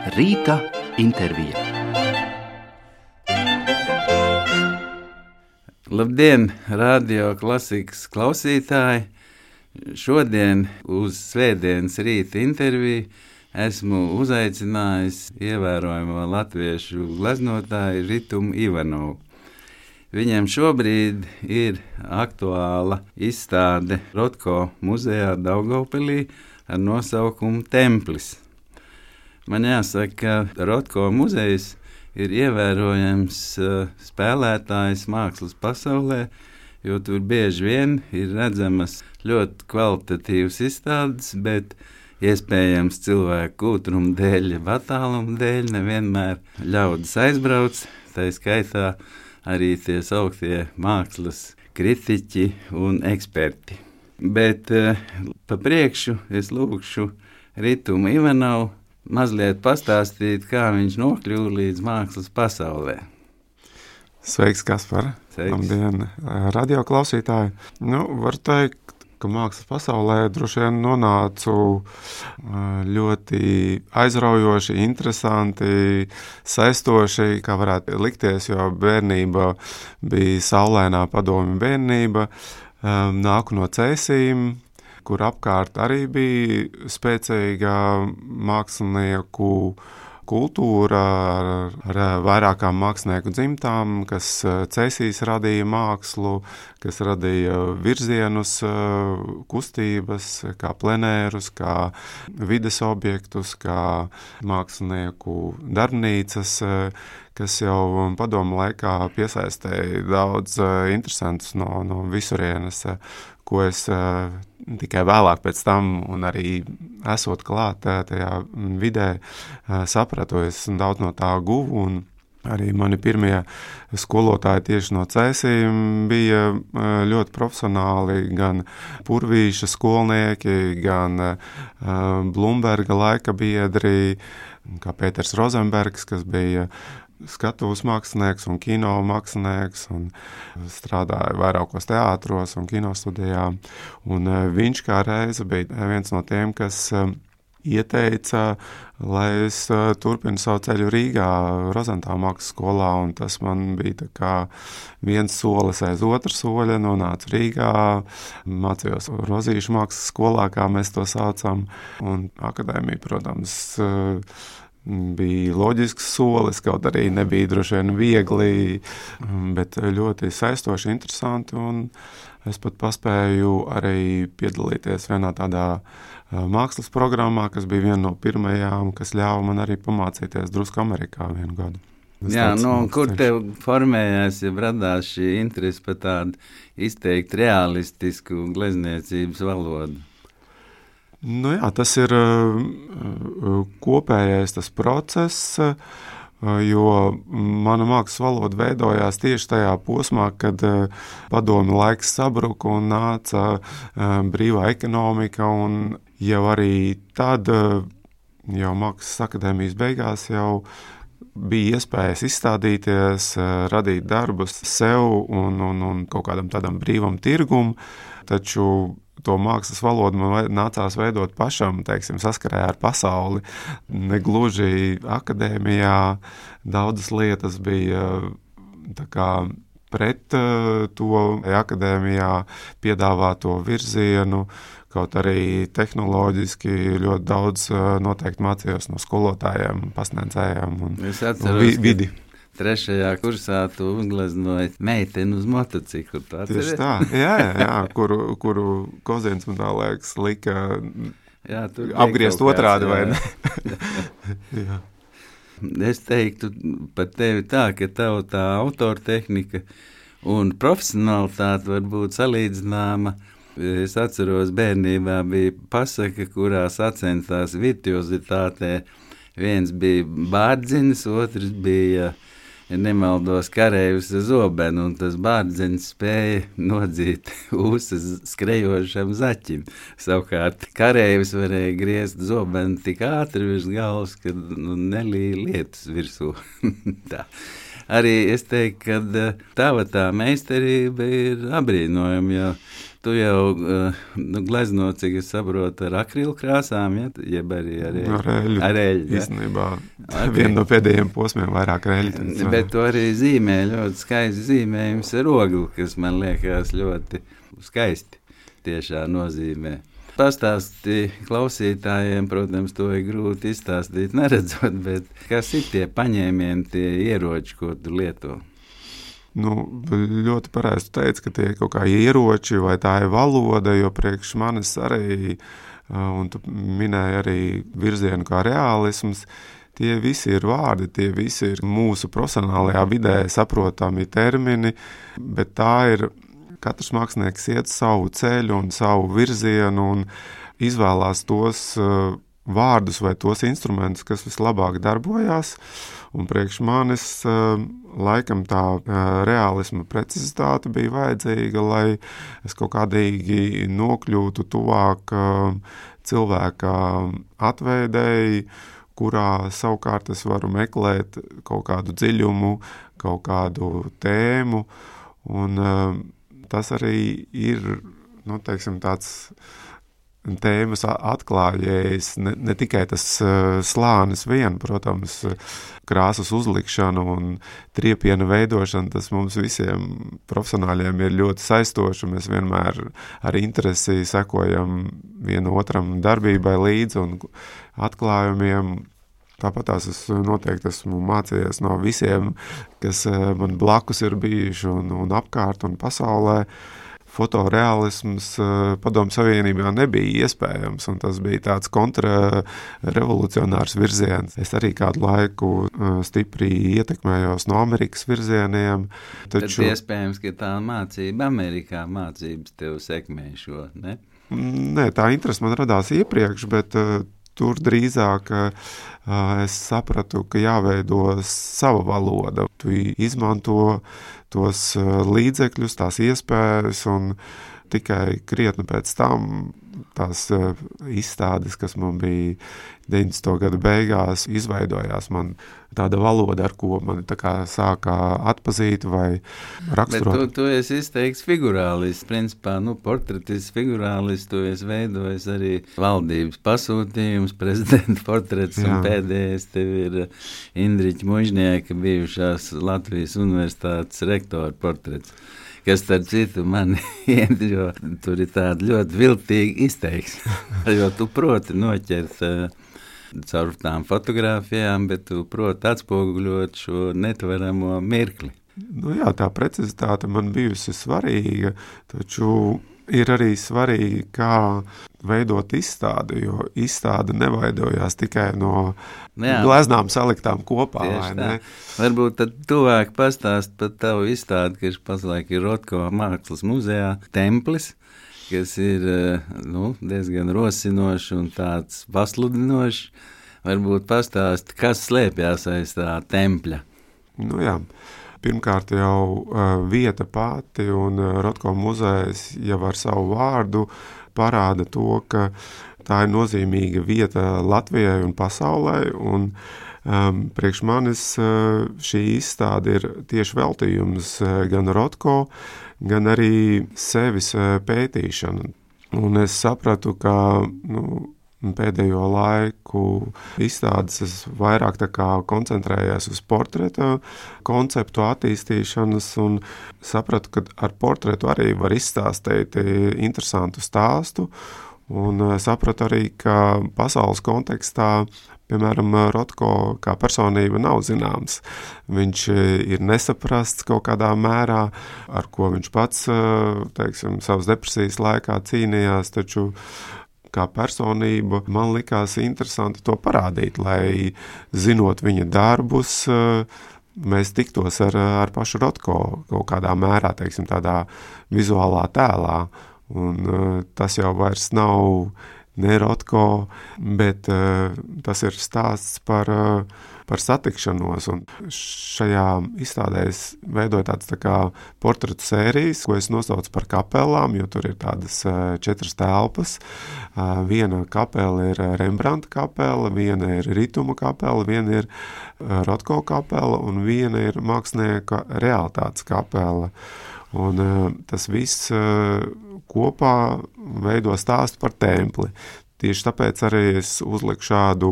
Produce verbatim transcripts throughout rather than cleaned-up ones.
Rīta intervija. Labdien, radio klasikas klausītāji! Šodien uz svētdienas rīta interviju esmu uzaicinājis ievērojamo latviešu gleznotāju Ritumu Ivanovu. Viņam šobrīd ir aktuāla izstāde Rotko muzejā Daugavpilī ar nosaukumu Templis. Man jāsaka, ka Rotko muzejs ir ievērojams uh, spēlētājs mākslas pasaulē, jo tur bieži vien ir redzamas ļoti kvalitatīvas izstādes, bet iespējams cilvēku kūtruma dēļ, attāluma dēļ nevienmēr ļaudis aizbrauc, tā skaitā arī tie sauktie mākslas kritiķi un eksperti. Bet uh, pa priekšu es lūkšu Ritumu Ivanovu mazliet pastāstīt, kā viņš nokļuva līdz mākslas pasaulē. Sveiks, Kaspar! Sveiks. Labdien, radio klausītāji! Nu, var teikt, ka mākslas pasaulē droši vien nonācu ļoti aizraujoši, interesanti, saistoši, kā varētu likties, jo bērnība bija saulainā padomju bērnība, nāku no Cēsīm, kur apkārt arī bija spēcīga mākslinieku kultūra ar, ar vairākām mākslinieku dzimtām, kas Cēsīs radīja mākslu, kas radīja virzienus, kustības, kā plenērus, kā vides objektus, kā mākslinieku darbnīcas, kas jau padomu laikā piesaistēja daudz interesantus no, no visurienes, ko es uh, tikai vēlāk pēc tam un arī esot klāt uh, tajā vidē uh, sapratu, es daudz no tā guvu, un arī mani pirmie skolotāji tieši no Cēsīm bija uh, ļoti profesionāli, gan Purvīša skolnieki, gan uh, Blumberga laika biedri, kā Pēters Rozenbergs, kas bija skatuves mākslinieks un kino mākslinieks un strādāja vairākos teātros un kinostudijā. Un viņš kā reize bija viens no tiem, kas ieteica, lai es turpinu savu ceļu Rīgā, Rozentā mākslas skolā, un tas man bija tā kā viens solis aiz otru soļa, nonācu Rīgā, mācījos Rozīšu mākslas skolā, kā mēs to saucam, un akadēmija, protams, bija loģisks solis, kaut arī nebija droši vien viegli, bet ļoti saistoši, interesanti, un es pat paspēju arī piedalīties vienā tādā mākslas programmā, kas bija viena no pirmajām, kas ļāva man arī pamācīties drusku Amerikā vienu gadu. Es Jā, tāds, nu, kur ceļš. tev formējās, ja radās šī interese par tādu izteikti realistisku glezniecības valodu? Nu jā, tas ir uh, kopējais tas process, uh, jo mana mākslas valoda veidojās tieši tajā posmā, kad uh, padomju laiks sabruka un nāca uh, brīvā ekonomika, un jau arī tad, uh, jau mākslas akadēmijas beigās, jau bija iespējas izstādīties, uh, radīt darbus sev un, un, un kaut kādam tādam brīvam tirgum, taču to mākslas valodu man nācās veidot pašam, teiksim, saskarē ar pasauli. Negluži akadēmijā daudzas lietas bija tā kā pret to akadēmijā piedāvāto virzienu, kaut arī tehnoloģiski ļoti daudz noteikti mācījos no skolotājiem, pasniedzējiem un, Es atceros, un vidi. Trešajā kursā tu uzgleznoji meiteni uz motociklu. Tā Tieši tā, jā, jā, jā, kuru, kuru Kozins man tā liekas lika jā, apgriezt otrādi, vai ne? Jā. Es teiktu par tevi tā, ka tev tā autortehnika un profesionalitāte var būt salīdzināma. Es atceros, bērnībā bija pasaka, kurā sacensās virtuozitātē. Viens bija Bārdzinis, otrs bija, ja nemaldos, kareivis ar zobenu, un tas Bārdzinis spēja nodzīt ūsas skrejošam zaķim. Savukārt kareivis varēja griezt zobenu tik ātri virs galvas, ka nu, nelīja lietus virsū. Tā. arī es teiktu, ka tava tā meistarība ir abrīnojama, jo tu jau nu, glezno, cik es saprotu, ar akrilu krāsām, ja? Jeb arī ar eļu. Ar eļu. Ar eļu, ja? Īstenībā okay. Viena no pēdējiem posmiem vairāk ar eļu. Bet tu arī zīmē ļoti skaisti zīmējums ar ogli, kas man liekas ļoti skaisti tiešā nozīmē. Pastāsti klausītājiem, protams, to ir grūti izstāstīt neredzot, bet kas ir tie paņēmieni, tie ieroči, ko tu lieto? Nu, ļoti pareizi teica, ka tie ir kaut kā ieroči vai tā ir valoda, jo priekš manis arī, un tu minēji arī virzienu kā reālisms, tie visi ir vārdi, tie visi ir mūsu profesionālajā vidē saprotami termini, bet tā ir, katrs mākslinieks iet savu ceļu un savu virzienu un izvēlās tos vārdus vai tos instrumentus, kas vislabāk darbojās. Un priekš manis laikam tā reālisma precizitāte bija vajadzīga, lai es kaut kādīgi nokļūtu tuvāk cilvēka atveidēji, kurā savukārt es varu meklēt kaut kādu dziļumu, kaut kādu tēmu. Un tas arī ir, nu, teiksim, tāds tēmas atklājējs, ne, ne tikai tas uh, slānis vien, protams, krāsas uzlikšana un triepiena veidošana, tas mums visiem profesionāļiem ir ļoti saistoši, mēs vienmēr ar interesi sekojam vienu otram darbībai līdzi un atklājumiem. Tāpat tās es noteikti esmu mācījies no visiem, kas man blakus ir bijuši un, un apkārt un pasaulē. Fotoreālisms Padomju Savienībā nebija iespējams, un tas bija tāds kontrarevolucionārs virziens. Es arī kādu laiku stipri ietekmējos no Amerikas virzieniem. Taču... Tad iespējams, ka tā mācība Amerikā mācības tev sekmē šo, ne? Nē, tā interese man radās iepriekš, bet uh, tur drīzāk uh, es sapratu, ka jāveido sava valoda. Tu izmanto tos līdzekļus, tās iespējas, un tikai krietni pēc tam tās izstādes, kas man bija deviņdesmito gadu beigās, izveidojās man tāda valoda, ar ko man tā kā sākā atpazīt vai raksturot. Bet tu, tu esi izteikts figurālists, principā, nu, portretists, figurālists, tu esi veidojis arī valdības pasūtījums, prezidenta portrets, Jā. Un pēdējais tev ir Indriķa Mužnieka, bijušās Latvijas universitātes rektora portrets, kas, starp citu, man iet, jo tur ir tāda ļoti viltīgi izteiksme, jo tu proti noķert uh, caur tām fotogrāfijām, bet tu proti atspoguļot šo netveramo mirkli. Nu jā, tā precizitāte man bijusi svarīga, taču ir arī svarīgi, kā veidot izstādi, jo izstāde neveidojās tikai no jā. Gleznām saliktām kopā. Vai ne? Varbūt tad tuvāk pastāst par tavu izstādi, kas pašlaik ir Rotko mākslas muzejā Templis, kas ir nu, diezgan rosinošs un tāds pasludinošs. Varbūt pastāst, kas slēpjās aiz tā tempļa. Nu jā. Pirmkārt jau uh, vieta pati un uh, Rotko muzejs jau ar savu vārdu parāda to, ka tā ir nozīmīga vieta Latvijai un pasaulē, un um, priekš manis uh, šī izstāde ir tieši veltījums uh, gan Rotko, gan arī sevis uh, pētīšana. Un es sapratu, ka nu, pēdējo laiku izstādes es vairāk tā kā koncentrējos uz portreta konceptu attīstīšanas un sapratu, ka ar portretu arī var izstāstīt interesantu stāstu un sapratu arī, ka pasaules kontekstā, piemēram, Rotko kā personība nav zināms. Viņš ir nesaprasts kaut kādā mērā, ar ko viņš pats, teiksim, savas depresijas laikā cīnījās, taču kā personība, man likās interesanti to parādīt, lai zinot viņa darbus, mēs tiktos ar, ar pašu Rotko kaut kādā mērā, teiksim, tādā vizuālā tēlā. Un tas jau vairs nav ne Rotko, bet tas ir stāsts par, par satikšanos. Un šajā izstādē es veidoju tādas tā kā portretu sērijas, ko es nosaucu par kapelām, jo tur ir tādas četras telpas. Viena kapela ir Rembrandta kapela, viena ir Rituma kapela, viena ir Rotko kapela un viena ir mākslinieka realitātes kapela. Un tas viss kopā veido stāstu par templi. Tieši tāpēc arī es uzliku šādu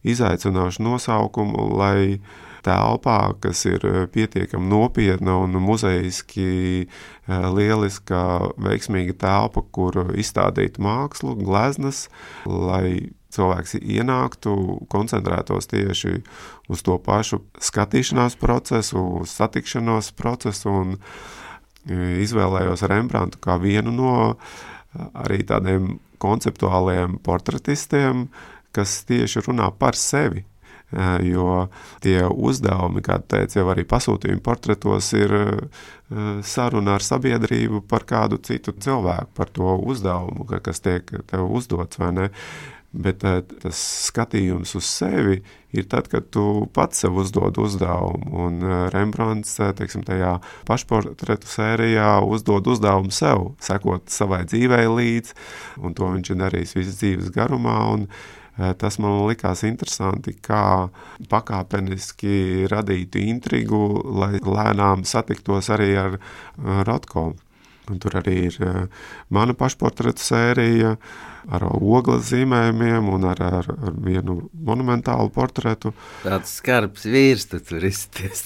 izaicināšu nosaukumu, lai telpā, kas ir pietiekami nopietna un muzejiski lieliska, veiksmīga telpa, kur izstādīt mākslu, gleznas, lai cilvēks ienāktu, koncentrētos tieši uz to pašu skatīšanās procesu, uz satikšanos procesu un izvēlējos Rembrandtu kā vienu no arī tādiem konceptuāliem portretistiem, kas tieši runā par sevi, jo tie uzdevumi, kā teicu, jau arī pasūtījumi portretos ir saruna ar sabiedrību par kādu citu cilvēku, par to uzdevumu, kas tiek tev uzdots, vai ne? Bet tas skatījums uz sevi ir tad, kad tu pats sev uzdod uzdevumu, un Rembrandts, teiksim, tajā pašportretu sērijā uzdod uzdevumu sev, sekot savai dzīvei līdz, un to viņš ir darījis visas dzīves garumā, un tas man likās interesanti, kā pakāpeniski radītu intrigu, lai lēnām satiktos arī ar Rotko. Un tur arī ir mana pašportretu sērija ar ogles zīmējumiem un ar, ar, ar vienu monumentālu portretu. Tāds skarbs vīrs tu tur izties.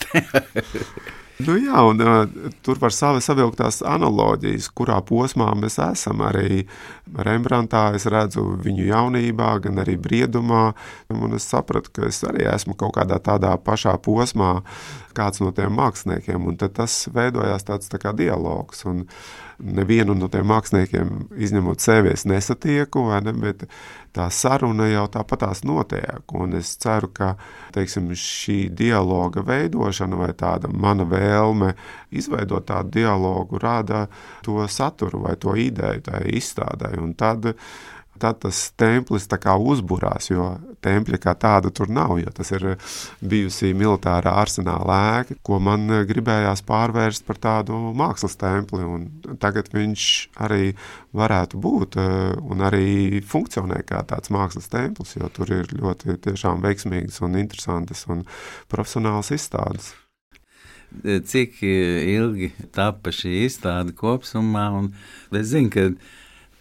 Nu jā, un uh, tur var savi savilktās analoģijas, kurā posmā mēs esam. Arī Rembrandtā es redzu viņu jaunībā, gan arī briedumā, un es sapratu, ka es arī esmu kaut kādā tādā pašā posmā kāds no tiem māksliniekiem, un tad tas veidojās tāds tā kā dialogs, un nevienu no tiem māksliniekiem izņemot sevi es nesatieku, vai ne, bet tā saruna jau tāpatās notiek, un es ceru, ka, teiksim, šī dialoga veidošana vai tāda mana vēlme izveidot tādu dialogu rada to saturu vai to ideju tai izstādai, un tad tad tas templis tā kā uzburās, jo tempļa kā tāda tur nav, jo tas ir bijusi militārā arsenāla ēka, ko man gribējās pārvērst par tādu mākslas templi, un tagad viņš arī varētu būt un arī funkcionē kā tāds mākslas templis, jo tur ir ļoti tiešām veiksmīgas un interesantas un profesionālas izstādes. Cik ilgi tapa šī izstāde kopsumā, un es zinu, ka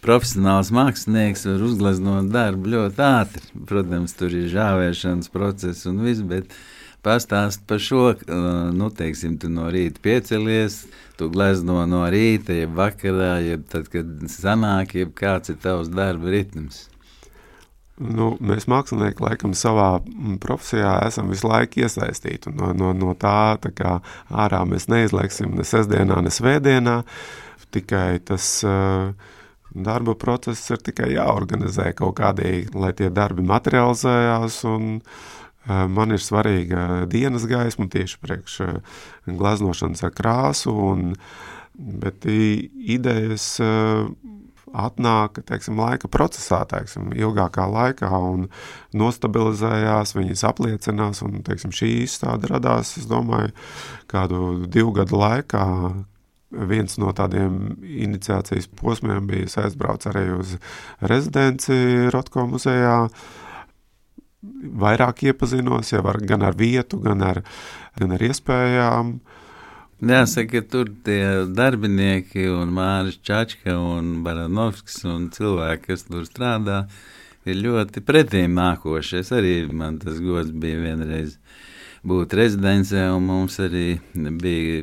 profesionāls mākslinieks var uzgleznot darbu ļoti ātri. Protams, tur ir žāvēšanas process un viss, bet pastāst par šo, nu, teiksim, tu no rīta piecelies, tu glezno no rīta, jeb vakarā, jeb tad, kad sanāk, jeb kāds ir tavs darba ritms. Nu, mēs mākslinieki laikam savā profesijā esam visu laiku iesaistīti. No, no, no tā, tā kā ārā mēs neizlieksim ne sestdienā, ne svētdienā, tikai tas uh, darba process ir tikai jāorganizē kaut kādīgi, lai tie darbi materializējās, un uh, man ir svarīga dienas gaisma tieši priekš uh, gleznošanas ar krāsu, un, bet idejas uh, atnāk, teiksim, laika procesā, teiksim, ilgākā laikā un nostabilizējās, viņas apliecinās, un, teiksim, šī izstāde radās, es domāju, kādu divu gadu laikā. Viens no tādiem iniciācijas posmiem bija aizbrauc arī uz rezidenci Rotko muzejā. Vairāk iepazinos jau ar, gan ar vietu, gan ar, gan ar iespējām. Jāsaka, tur tie darbinieki un Māris Čačka un Baranovskis un cilvēki, kas tur strādā, ir ļoti pretīm nākoši. Es arī, man tas gods bija vienreiz būt rezidencē, un mums arī bija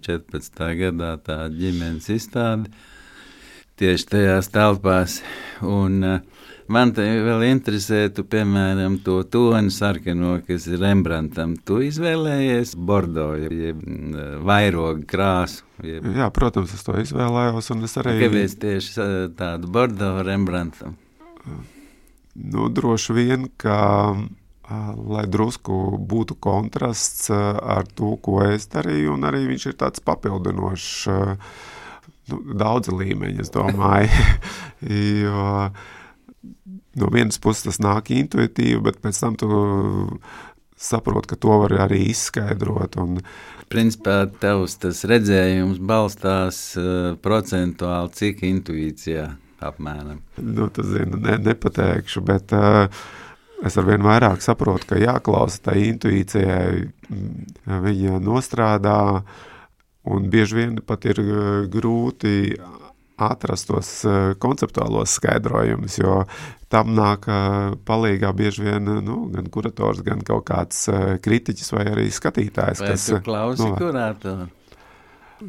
četrpadsmitā gadā tā ģimenes izstāde tieši tajās telpās. Un uh, man te vēl interesē, tu, piemēram, to toni sarkano, kas ir Rembrandtam. Tu izvēlējies bordo, jeb vairogu krāsu. Jeb... Jā, protams, es to izvēlējos, un es arī... Kāpēc tieši tādu bordo Rembrandtam? Nu, droši vien, ka lai drusku būtu kontrasts ar to, ko es darīju, un arī viņš ir tāds papildinošs, nu, daudzi līmeņi, es domāju, jo no vienas puses tas nāk intuitīvi, bet pēc tam tu saproti, ka to var arī izskaidrot. Un principā tavs tas redzējums balstās uh, procentuāli cik intuīcijā apmēram? Nu, tas zinu, ne, nepateikšu, bet uh, es arvien vairāk saprotu, ka jāklausa tai intuīcijai, viņa nostrādā, un bieži vien pat ir grūti atrast tos konceptuālos skaidrojumus, jo tam nāk palīgā bieži vien nu, gan kurators, gan kaut kāds kritiķis vai arī skatītājs. Vai kas, tu klausi nu, kuratoru?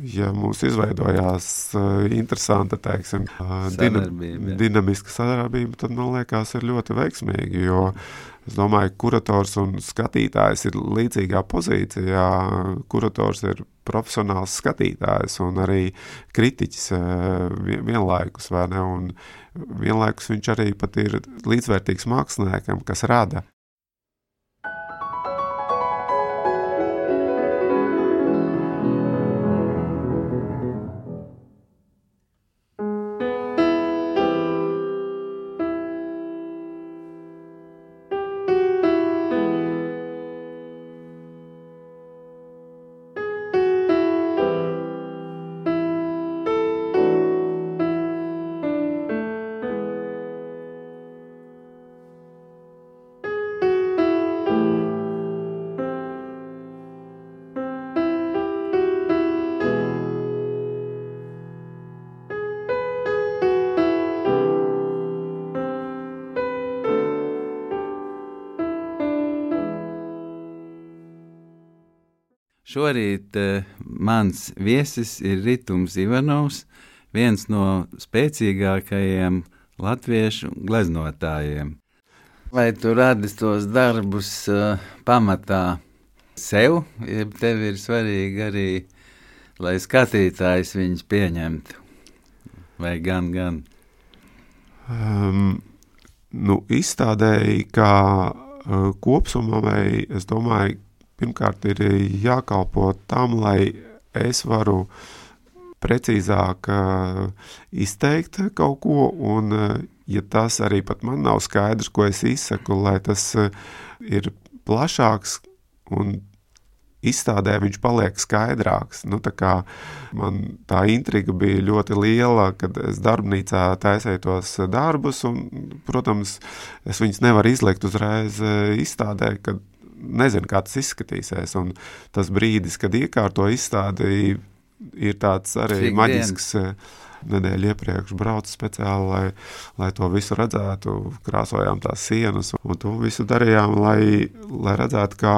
Ja mums izveidojās uh, interesanta, teiksim, uh, sadarbība, dinamiska sadarbība, tad, man liekas, ir ļoti veiksmīgi, jo es domāju, kurators un skatītājs ir līdzīgā pozīcijā. Kurators ir profesionāls skatītājs un arī kritiķis uh, vienlaikus, vai ne? Un vienlaikus viņš arī pat ir līdzvērtīgs māksliniekam, kas rada. Šorīt uh, mans viesis ir Ritums Ivanovs, viens no spēcīgākajiem latviešu gleznotājiem. Vai tu radi tos darbus uh, pamatā sev, ja tev ir svarīgi arī, lai skatītājs viņus pieņemtu? Vai gan, gan? Um, nu, izstādēji kā uh, kopsumai, es domāju, pirmkārt ir jākalpo tam, lai es varu precīzāk uh, izteikt kaut ko, un uh, ja tas arī pat man nav skaidrs, ko es izsaku, lai tas uh, ir plašāks un izstādē viņš paliek skaidrāks. Nu, tā kā man tā intriga bija ļoti liela, kad es darbnīcā taisēju tos darbus, un, protams, es viņus nevaru izlikt uzreiz izstādē, kad nezinu, kā tas izskatīsies, un tas brīdis, kad iekārto izstādi, ir tāds arī Cik maģisks dienas. Nedēļu iepriekš braucu speciāli, lai, lai to visu redzētu, krāsojām tās sienas, un to visu darījām, lai, lai redzētu, kā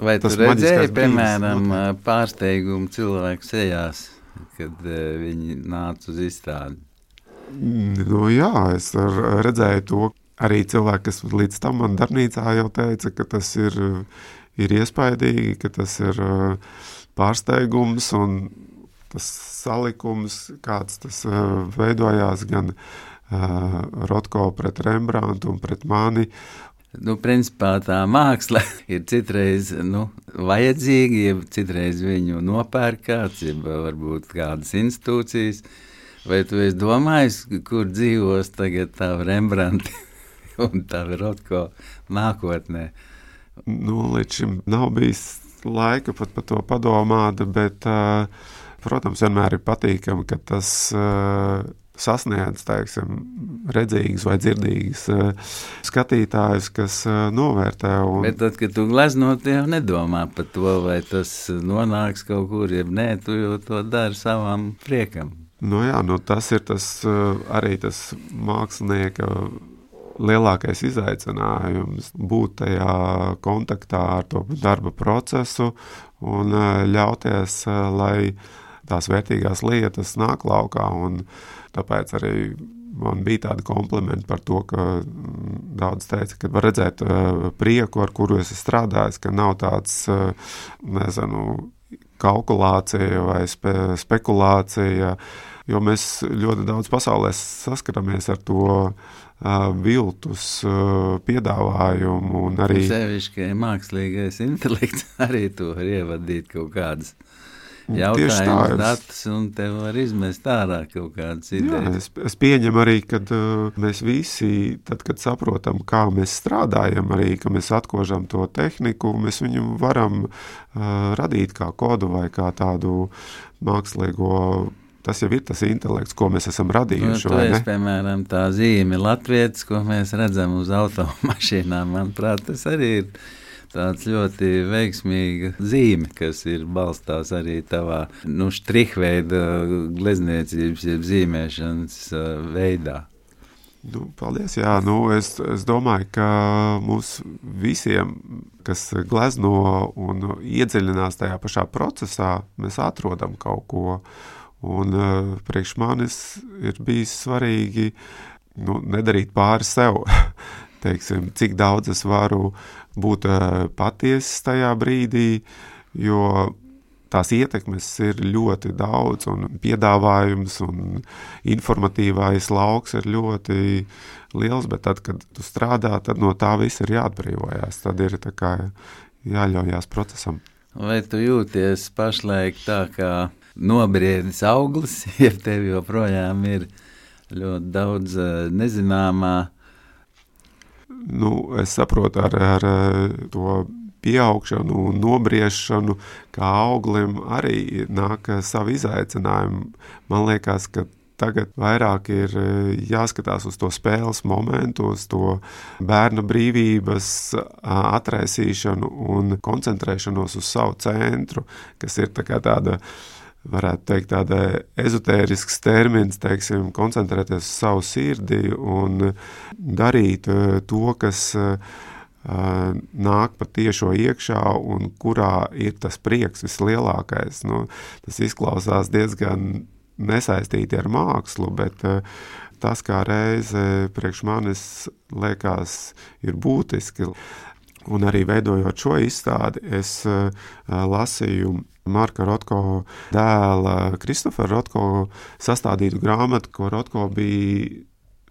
Vai tu redzēji, piemēram, pārsteigumu cilvēku sejās, kad uh, viņi nāca uz izstādi? Nu jā, es redzēju to. Arī cilvēki, kas līdz tam man darbnīcā jau teica, ka tas ir, ir iespaidīgi, ka tas ir pārsteigums un tas salikums, kāds tas veidojās gan uh, Rotko pret Rembrantu un pret mani. Nu, principā tā māksla ir citreiz nu, vajadzīga, ja citreiz viņu nopērk kāds, ja varbūt kādas institūcijas. Vai tu esi domājis, kur dzīvos tagad tā Rembranti? Un tā ir Rotko nākotnē. Nu, līdz šim nav bijis laika pat par to padomāt, bet, uh, protams, vienmēr ir patīkami, ka tas uh, sasniedz, teiksim, redzīgas vai dzirdīgas uh, skatītājus, kas uh, novērtē. Un... Bet tad, kad tu gleznot, jau nedomā par to, vai tas nonāks kaut kur, ja nē, tu jau to dari savam priekam. Nu jā, nu tas ir tas uh, arī tas mākslinieka lielākais izaicinājums būt tajā kontaktā ar to darba procesu un ļauties, lai tās vērtīgās lietas nāk laukā. Un tāpēc arī man bija tādi komplimenti par to, ka daudz teica, ka var redzēt prieku, ar kuru es strādāju, ka nav tāds, nezinu, kalkulācija vai spe, spekulācija, jo mēs ļoti daudz pasaulē saskaramies ar to Uh, viltus uh, piedāvājumu un arī... Sevišķi mākslīgais intelekts arī to var ievadīt kaut kādas jautājums, datus, un tev var izmest ārā kaut kādas idejas. Jā, es, es pieņemu arī, kad uh, mēs visi, tad, kad saprotam, kā mēs strādājam, arī, ka mēs atkožam to tehniku, mēs viņu varam uh, radīt kā kodu vai kā tādu mākslīgo. Tas jau ir tas intelekts, ko mēs esam radījuši. Nu, to es, piemēram, tā zīme latvietis, ko mēs redzam uz automašīnām, manuprāt, tas arī ir tāds ļoti veiksmīga zīme, kas ir balstās arī tavā, nu, štrihveida glezniecības, jeb zīmēšanas veidā. Nu, paldies, jā, nu, es, es domāju, ka mums visiem, kas glezno un iedziļinās tajā pašā procesā, mēs atrodam kaut ko. Un uh, priekš manis ir bijis svarīgi, nu, nedarīt pāri sev. Teiksim, cik daudz es varu būt uh, patiesis tajā brīdī, jo tās ietekmes ir ļoti daudz, un piedāvājums un informatīvais lauks ir ļoti liels, bet tad, kad tu strādā, tad no tā viss ir jāatbrīvojās, tad ir tā kā jāļaujās procesam. Vai tu jūties pašlaik tā kā nobriedis auglis, ja tev joprojām ir ļoti daudz nezināmā? Nu, es saprotu ar, ar to pieaugšanu un nobriešanu, kā auglim arī nāk savi izaicinājumi. Man liekas, ka tagad vairāk ir jāskatās uz to spēles momentu, uz to bērna brīvības atraisīšanu un koncentrēšanos uz savu centru, kas ir tā kā tāda, varētu teikt, tāda ezotērisks termins, teiksim, koncentrēties uz savu sirdi un darīt to, kas nāk pa tiešo iekšā un kurā ir tas prieks vislielākais. Nu, tas izklausās diezgan nesaistīti ar mākslu, bet tas kā reize priekš manis liekas ir būtiski. Un arī veidojot šo izstādi, es lasīju Marka Rotko dēla Kristofera Rotko sastādītu grāmatu, ko Rotko bija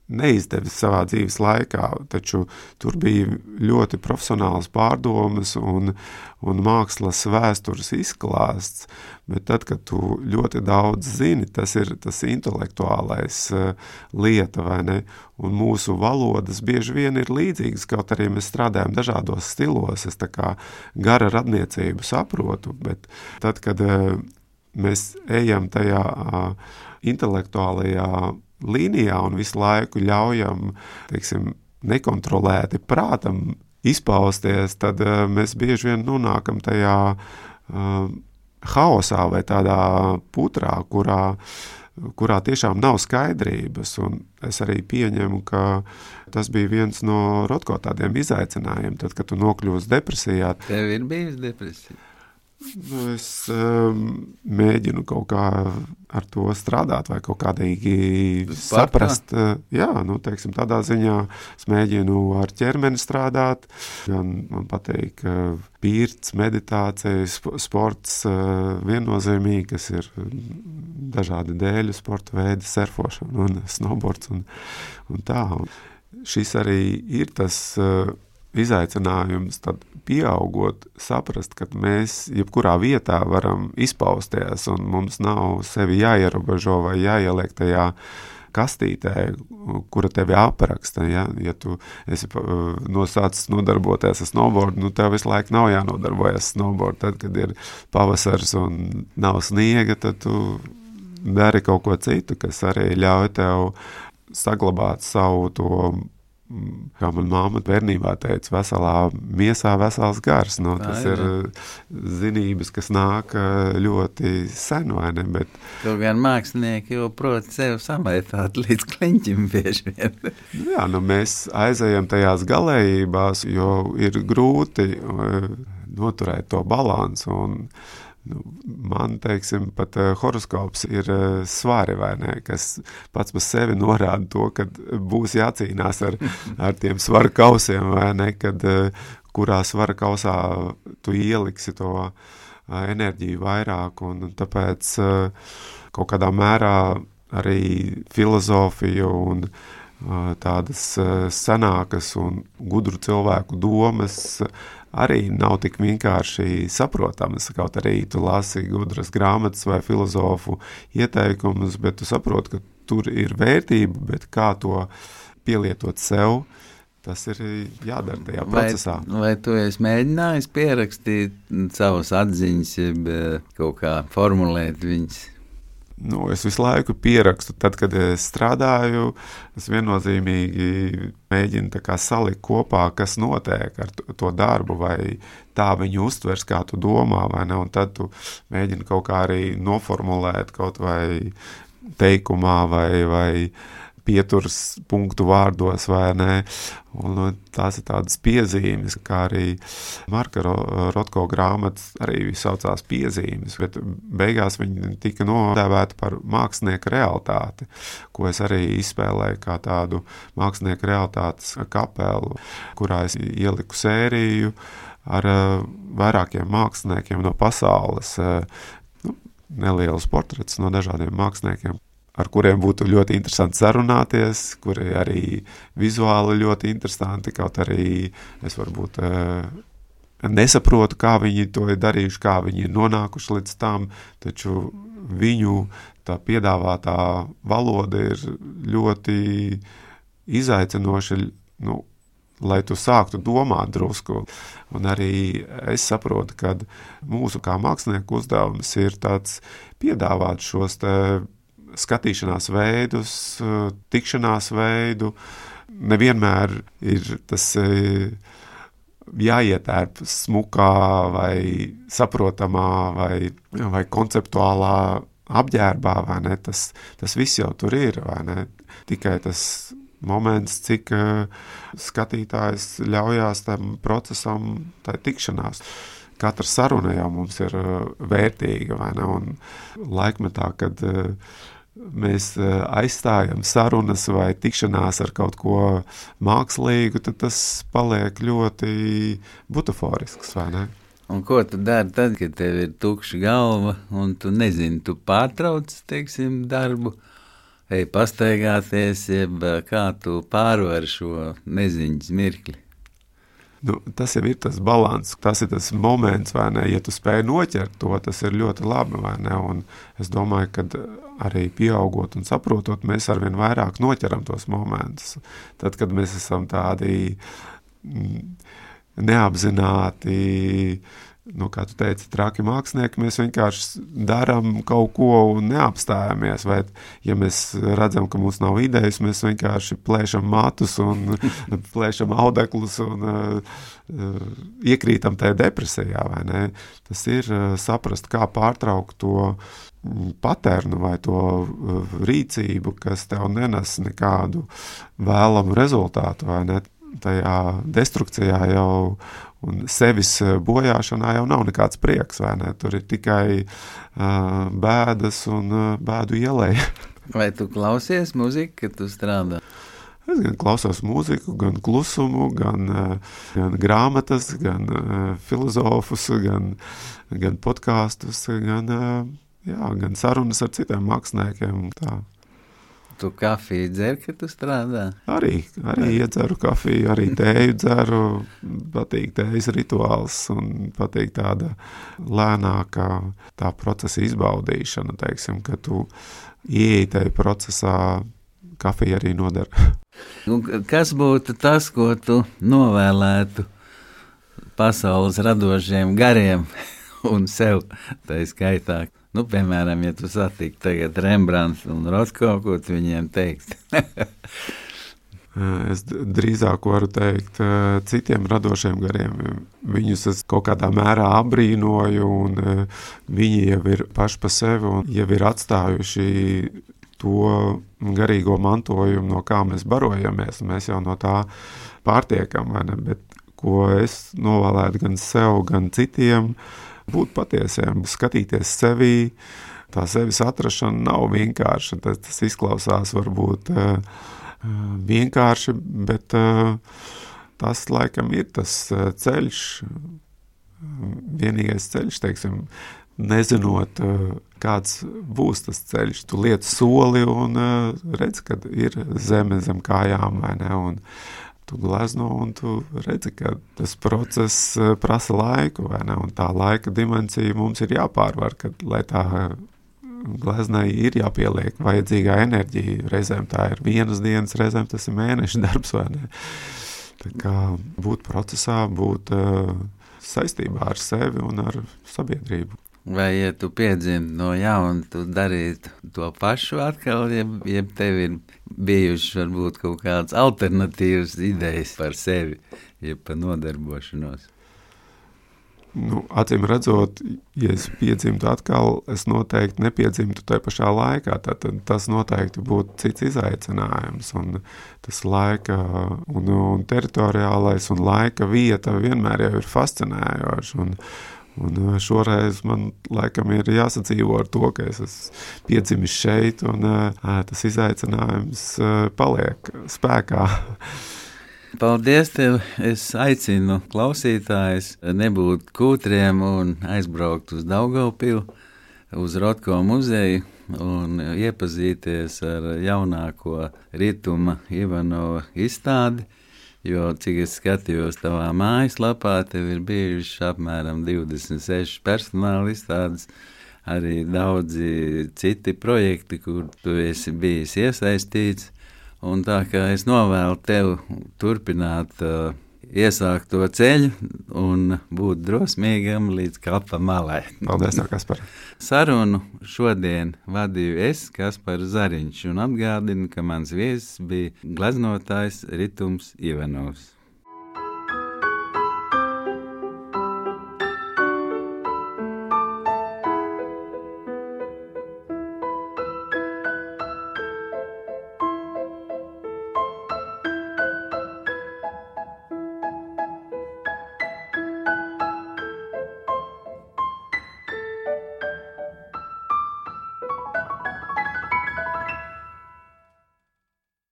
neizdevis savā dzīves laikā, taču tur bija ļoti profesionāls pārdomas un, un mākslas vēstures izklāsts, bet tad, kad tu ļoti daudz zini, tas ir tas intelektuālais uh, lieta, vai ne? Un mūsu valodas bieži vien ir līdzīgas, kaut arī mēs strādājam dažādos stilos, es tā kā gara radniecību saprotu, bet tad, kad uh, mēs ejam tajā uh, intelektuālajā līnijā un visu laiku ļaujam, teiksim, nekontrolēti prātam izpausties, tad uh, mēs bieži vien nonākam tajā uh, haosā vai tādā putrā, kurā, kurā tiešām nav skaidrības. Un es arī pieņemu, ka tas bija viens no Rotko tādiem izaicinājumiem, tad, kad tu nokļūsi depresijā. Tev ir bijusi depresija? Nu, es um, mēģinu kaut kā ar to strādāt vai kaut kādīgi saprast. Jā, nu, teiksim, tādā ziņā es mēģinu ar ķermeni strādāt. Gan man patīk pirts, meditācija, sports viennozīmīgi, kas ir dažādi dēļu sporta veidi, surfošana un snowboards un, un tā. Un šis arī ir tas izaicinājums, tad pieaugot, saprast, ka mēs jebkurā vietā varam izpausties un mums nav sevi jāierobežo vai jāieliek tajā kastītē, kura tevi apraksta. Ja, ja tu esi nosācis nodarboties ar snowboardu, nu tev visu laiku nav jānodarbojas ar snowboardu. Tad, kad ir pavasars un nav sniega, tad tu dari kaut ko citu, kas arī ļauj tev saglabāt savu to, kā man māma bērnībā teica, veselā miesā vesels gars. No, tas ir zinības, kas nāk ļoti sen, vai ne? Bet kaut gan mākslinieki jau prot sev samaitāt līdz kliņķim bieži vien. Jā, nu mēs aizējam tajās galējībās, jo ir grūti noturēt to balansu un nu, man, teiksim, pat uh, horoskops ir uh, svari, vai ne, kas pats par sevi norāda to, ka būs jācīnās ar, ar tiem svara kausiem, vai ne, kad uh, kurā svara kausā tu ieliksi to uh, enerģiju vairāk, un tāpēc uh, kaut kādā mērā arī filozofija un tādas senākas un gudru cilvēku domas arī nav tik vienkārši saprotamas, kaut arī tu lasi gudras grāmatas vai filozofu ieteikumus, bet tu saproti, ka tur ir vērtība, bet kā to pielietot sev, tas ir jādara tajā procesā. Vai, vai tu esi mēģinājis pierakstīt savas atziņas, jeb kaut kā formulēt viņas? Nu, es visu laiku pierakstu. Tad, kad es strādāju, es viennozīmīgi mēģinu tā kā salikt kopā, kas notiek ar to darbu, vai tā viņu uztvers, kā tu domā, vai ne, un tad tu mēģini kaut kā arī noformulēt kaut vai teikumā, vai, vai pieturas punktu vārdos, vai ne, un tās ir tādas piezīmes, kā arī Marka Rotko grāmatas arī saucās piezīmes, bet beigās viņi tika nodēvēti par mākslinieka realitāti, ko es arī izspēlēju kā tādu mākslinieka realitātes kapelu, kurā es ieliku sēriju ar vairākiem māksliniekiem no pasaules, nu, nelielus portretus no dažādiem māksliniekiem, ar kuriem būtu ļoti interesanti sarunāties, kuri arī vizuāli ļoti interesanti, kaut arī es varbūt nesaprotu, kā viņi to ir darījuši, kā viņi ir nonākuši līdz tam, taču viņu tā piedāvātā valoda ir ļoti izaicinoša, nu, lai tu sāktu domāt drusku. Un arī es saprotu, ka mūsu kā mākslinieku uzdevums ir tāds piedāvāt šos te skatīšanās veidus, tikšanās veidu. Nevienmēr ir tas jāietērp smukā vai saprotamā vai, vai konceptuālā apģērbā, vai ne? Tas, tas viss jau tur ir, vai ne? Tikai tas moments, cik skatītājs ļaujās tam procesam, tai tikšanās. Katra saruna jau mums ir vērtīga, vai ne? Un laikmetā, kad mēs aizstājam sarunas vai tikšanās ar kaut ko mākslīgu, tad tas paliek ļoti butaforisks, vai ne? Un ko tu dari tad, kad tev ir tukša galva un tu nezini, tu pārtrauc, teiksim, darbu, ej pastaigāties, jeb kā tu pārvari šo neziņas mirkli? Nu, tas jau ir tas balans, tas ir tas moments, vai ne, ja tu spēj noķert to, tas ir ļoti labi, vai ne, un es domāju, ka arī pieaugot un saprotot, mēs arvien vairāk noķeram tos momentus. Tad, kad mēs esam tādi neapzināti, nu, kā tu teici, traki mākslinieki, mēs vienkārši darām kaut ko un neapstājamies, vai ja mēs redzam, ka mums nav idejas, mēs vienkārši plēšam matus un plēšam audeklus un uh, iekrītam tajā depresijā, vai ne? Tas ir uh, saprast, kā pārtraukt to paternu vai to uh, rīcību, kas tev nenes nekādu vēlamu rezultātu, vai ne? Tajā destrukcijā jau un sevis bojāšanā jau nav nekāds prieks, vai ne? Tur ir tikai uh, bēdas un uh, bēdu ielēja. Vai tu klausies muziku, kad tu strādā? Es gan klausos mūziku, gan klusumu, gan, uh, gan grāmatas, gan uh, filozofus, gan, gan podkastus, gan, uh, jā, gan sarunas ar citiem māksliniekiem. Tā. Tu kafiju dzer, kad tu strādā? Arī, arī iedzeru kafiju, arī tēju dzeru, patīk tējas rituāls un patīk tāda lēnākā tā procesa izbaudīšana, teiksim, ka tu ieej tajā procesā, kafija arī nodara. Un kas būtu tas, ko tu novēlētu pasaules radošiem gariem un sev tā skaitā? Nu, piemēram, ja tu satiktu tagad Rembrandts un Rotko, ko tu viņiem teikt? Es drīzāk varu teikt citiem radošiem gariem. Viņus es kaut kādā mērā abrīnoju, un viņi jau ir paši pa sevi un jau ir atstājuši to garīgo mantojumu, no kā mēs barojamies. Mēs jau no tā pārtiekam, vai ne? Bet ko es novēlētu gan sev, gan citiem, būt patiesiem, skatīties sevī, tā sevis atrašana nav vienkārša. Tas, tas izklausās varbūt uh, vienkārši, bet uh, tas laikam ir tas ceļš, vienīgais ceļš, teiksim, nezinot, kāds būs tas ceļš. Tu liec soli un redz, kad ir zeme zem kājām, vai ne, un tu glezno un tu redzi, ka tas process prasa laiku, vai ne, un tā laika dimensija mums ir jāpārvar, kad, lai tā gleznai ir jāpieliek vajadzīgā enerģija. Reizēm tā ir vienas dienas, reizēm tas ir mēneša darbs, vai ne. Tā kā būt procesā, būt uh, saistībā ar sevi un ar sabiedrību. Vai, ja tu piedzimti no jauna, tu darītu to pašu atkal, ja, ja tev ir bijušas varbūt kaut kādas alternatīvas idejas par sevi, ja par nodarbošanos? Nu, acīm redzot, ja es piedzimtu atkal, es noteikti nepiedzimtu tajā pašā laikā. Tad tas noteikti būtu cits izaicinājums. Un tas laika un, un teritoriālais un laika vieta vienmēr jau ir fascinējoši. Un, un šoreiz man laikam ir jāsadzīvo ar to, ka es esmu piedzimis šeit un ā, tas izaicinājums paliek spēkā. Paldies tev! Es aicinu klausītājus nebūt kūtriem un aizbraukt uz Daugavpilu, uz Rotko muzeju un iepazīties ar jaunāko Rituma Ivanova izstādi, jo, cik es skatījos tavā mājaslapā, tev ir bijuši apmēram divdesmit seši personāla izstādes, arī daudzi citi projekti, kur tu esi bijis iesaistīts. Un tā kā es novēlu tev turpināt uh, iesākt to ceļu un būt drosmīgam līdz kapa malai. Paldies, Kaspar. Sarunu šodien vadīju es, Kaspars Zariņš, un atgādinu, ka mans viesis bija gleznotājs Ritums Ivanovs.